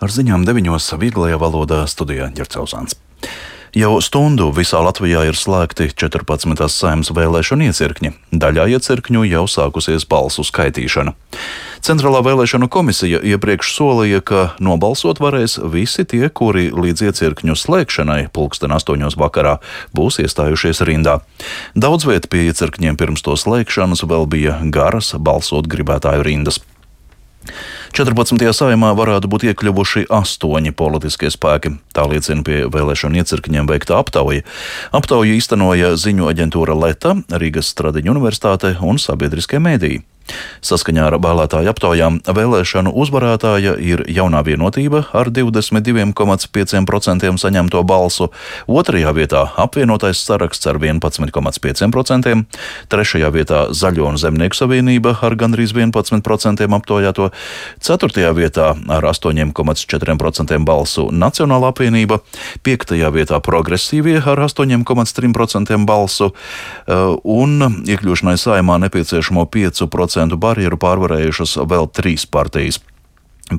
Ar ziņām 9. vieglajā valodā studijā Ģercauzāns. Jau stundu visā Latvijā ir slēgti 14. Saeimas vēlēšanu iecirkņi. Daļā iecirkņu jau sākusies balsu skaitīšana. Centrālā vēlēšanu komisija iepriekš solīja, ka nobalsot varēs visi tie, kuri līdz iecirkņu slēgšanai 8:00 vakarā būs iestājušies rindā. Daudz viet pie iecirkņiem pirms to slēgšanas vēl bija garas balsot gribētāju rindas. 14. Saeimā varētu būt iekļuvuši 8 politiskie spēki. Tā liecina pie vēlēšanu iecirkņiem veikta aptauja. Aptauju īstenoja ziņu aģentūra Leta, Rīgas Stradiņu universitāte un sabiedriskie mēdīji. Saskaņā ar vēlētāju aptaujām vēlēšanu uzvarētāja ir Jaunā Vienotība ar 22,5% saņemto balsu, otrajā vietā apvienotais saraksts ar 11,5%, trešajā vietā Zaļo un Zemnieku savienība ar gandrīz 11% aptaujāto, ceturtajā vietā ar 8,4% balsu Nacionālā apvienība, piektajā vietā Progresīvie ar 8,3% balsu un iekļūšanai Saeimā nepieciešamo 5% barjeru pārvarējušas vēl 3 partijas.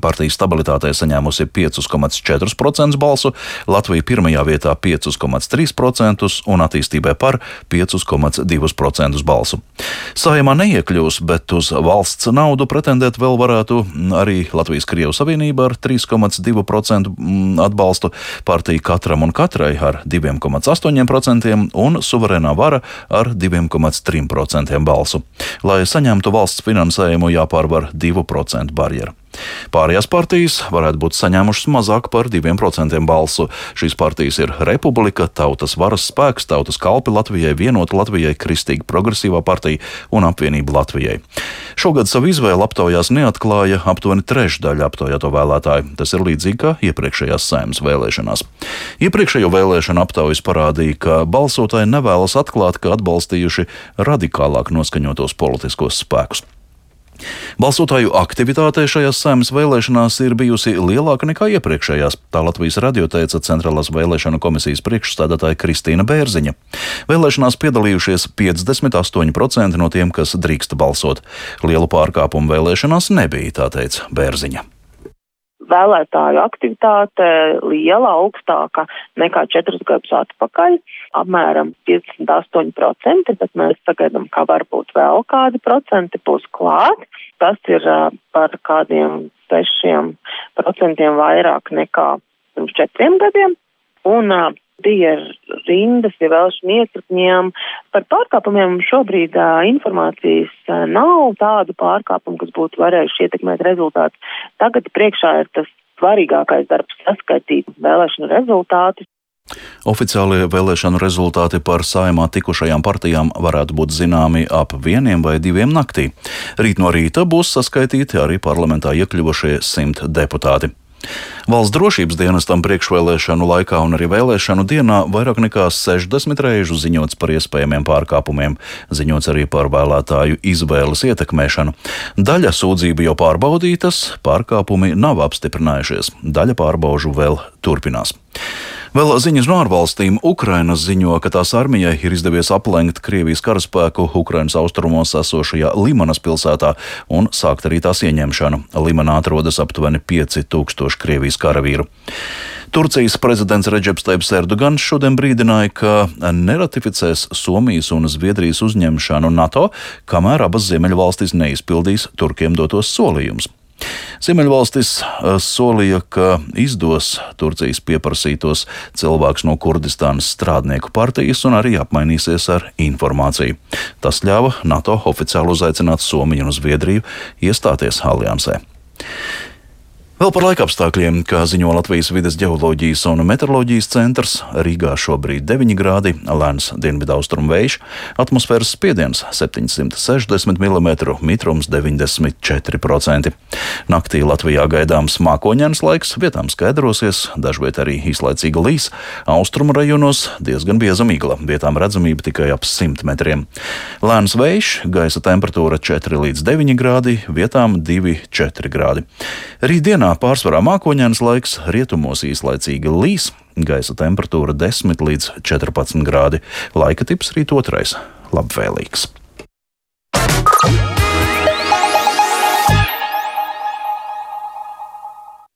Partija Stabilitātei saņēmusi 5,4% balsu, Latvija pirmajā vietā 5,3% un Attīstībai par 5,2% balsu. Saeimā neiekļūs, bet uz valsts naudu pretendēt vēl varētu arī Latvijas-Krievu savienība ar 3,2% atbalstu, partija Katram un Katrai ar 2,8% un Suverēnā vara ar 2,3% balsu. Lai saņemtu valsts finansējumu, jāpārvar 2% barjeru. Pārējās partijas varētu būt saņēmušas mazāk par 2% balsu. Šīs partijas ir Republika, Tautas varas spēks, Tautas kalpi Latvijai, Vienota Latvijai, Kristīga progresīvā partija un Apvienība Latvijai. Šogad savu izvēli aptaujās neatklāja aptuveni trešdaļa aptaujāto vēlētāju. Tas ir līdzīgi kā iepriekšējās Saeimas vēlēšanās. Iepriekšējo vēlēšanu aptaujas parādīja, ka balsotāji nevēlas atklāt, ka atbalstījuši radikālāk noskaņotos politiskos spēkus. Balsotāju aktivitāte šajās Saeimas vēlēšanās ir bijusi lielāka nekā iepriekšējās, tā Latvijas radio teica Centrālās vēlēšanu komisijas priekšsēdētāja Kristīna Bērziņa. Vēlēšanās piedalījušies 58% no tiem, kas drīkst balsot. Lielu pārkāpumu vēlēšanās nebija, tā teica Bērziņa. Vēlētāju aktivitāte liela, augstāka nekā 4 gadus atpakaļ, apmēram 58%, bet mēs sagaidām, ka varbūt vēl kādi procenti būs klāt. Tas ir par kādiem 6% vairāk nekā pirms 4 gadiem. Un bija rindas pie vēlēšanu iecirkņiem. Par pārkāpumiem šobrīd informācijas nav, tādu pārkāpumu, kas būtu varējuši ietekmēt rezultātus. Tagad priekšā ir tas svarīgākais darbs - saskaitīt vēlēšanu rezultātus. Oficiālie vēlēšanu rezultāti par Saeimā tikušajām partijām varētu būt zināmi ap 1 vai 2 naktī. Rīt no rīta būs saskaitīti arī parlamentā iekļuvušie 100 deputāti. Valsts drošības dienestam priekšvēlēšanu laikā un arī vēlēšanu dienā vairāk nekā 60 reižu ziņots par iespējamiem pārkāpumiem, ziņots arī par vēlētāju izvēles ietekmēšanu. Daļa sūdzību jau pārbaudītas, pārkāpumi nav apstiprinājušies, daļa pārbaužu vēl turpinās. Vēl ziņas no ārvalstīm. Ukraina ziņo, ka tās armijai ir izdevies aplenkt Krievijas karaspēku Ukrainas austrumos esošajā Limanas pilsētā un sākt arī tās ieņemšanu. Limanā atrodas aptuveni 5000 Krievijas karavīru. Turcijas prezidents Redžeps Tajibs Erdogans šodien brīdināja, ka neratificēs Somijas un Zviedrijas uzņemšanu NATO, kamēr abas ziemeļvalstis neizpildīs Turkiem dotos solījumus. Ziemeļvalstis solīja, ka izdos Turcijas pieprasītos cilvēkus no Kurdistānas strādnieku partijas un arī apmainīsies ar informāciju. Tas ļāva NATO oficiāli uzaicināt Somiju un Zviedriju iestāties aliansē. Vēl par laikapstākļiem, kā ziņo Latvijas vides ģeoloģijas un meteoroloģijas centrs, Rīgā šobrīd 9 grādi, lēns dienvidaustrumu vējš, atmosfēras spiediens 760 mm, mitrums 94%. Naktī Latvijā gaidāms mākoņains laiks, vietām skaidrosies, dažviet arī īslaicīga līs, austrumu rajonos diezgan bieza migla, vietām redzamība tikai ap 100 metriem. Lēns vējš, gaisa temperatūra 4 līdz 9 grādi, vietām 2,4 grādi. Rītdienā pārsvarā mākoņains laiks, rietumos īslaicīgi līs, gaisa temperatūra 10 līdz 14 grādi. Laika tips rīt otrais - labvēlīgs.